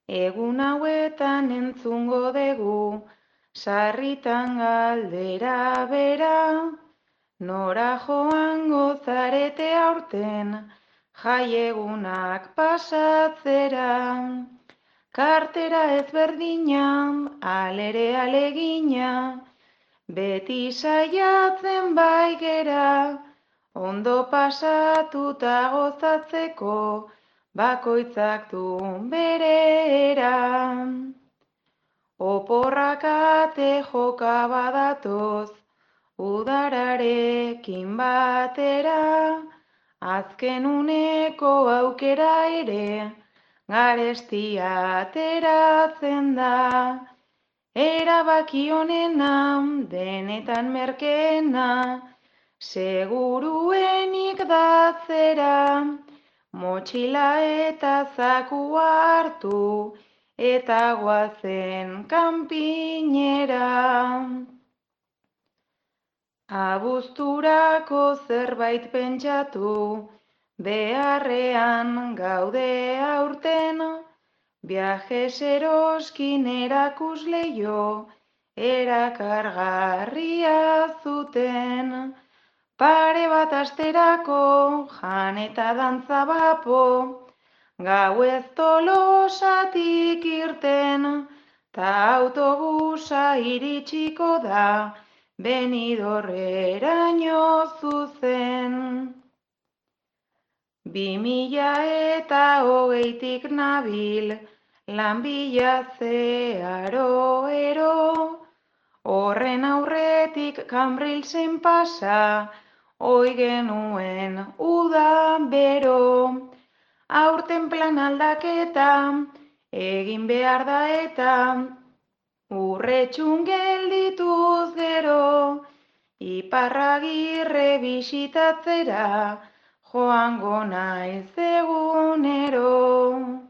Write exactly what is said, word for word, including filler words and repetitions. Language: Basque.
Egun hauetan entzungo dugu, sarritan galdera bera, nora joango zarete aurten, jaiegunak pasatzera. Kartera ezberdina, alere alegina, beti saiatzen bai gera, ondo pasatuta gozatzeko, bakoitzak du bere era. Oporrak ate joka badatoz, udararekin batera, azken uneko aukera ere, garestia ateratzen da. Erabaki honena, denetan merkeena, seguruenik datzera, motxila eta zakua hartu, eta goazen kanpinera. Abuzturako zerbait pentsatu, beharrean gaude aurten, viajes eroskin erakusleio, erakargarria zuten. Pare bat asterako, jan eta dantza bapo, gauez Tolosatik irten, ta autobusa iritsiko da, Benidorreraino zuzen. Bi mila eta hogeitik nabil, lan bilatzea ero, horren aurretik Cambrilesen pasa, oi genuen uda bero. Aurten plan aldaketa, egin behar da eta, urretxun geldituz gero, Iparragirre bisitatzera, joango naiz egunero.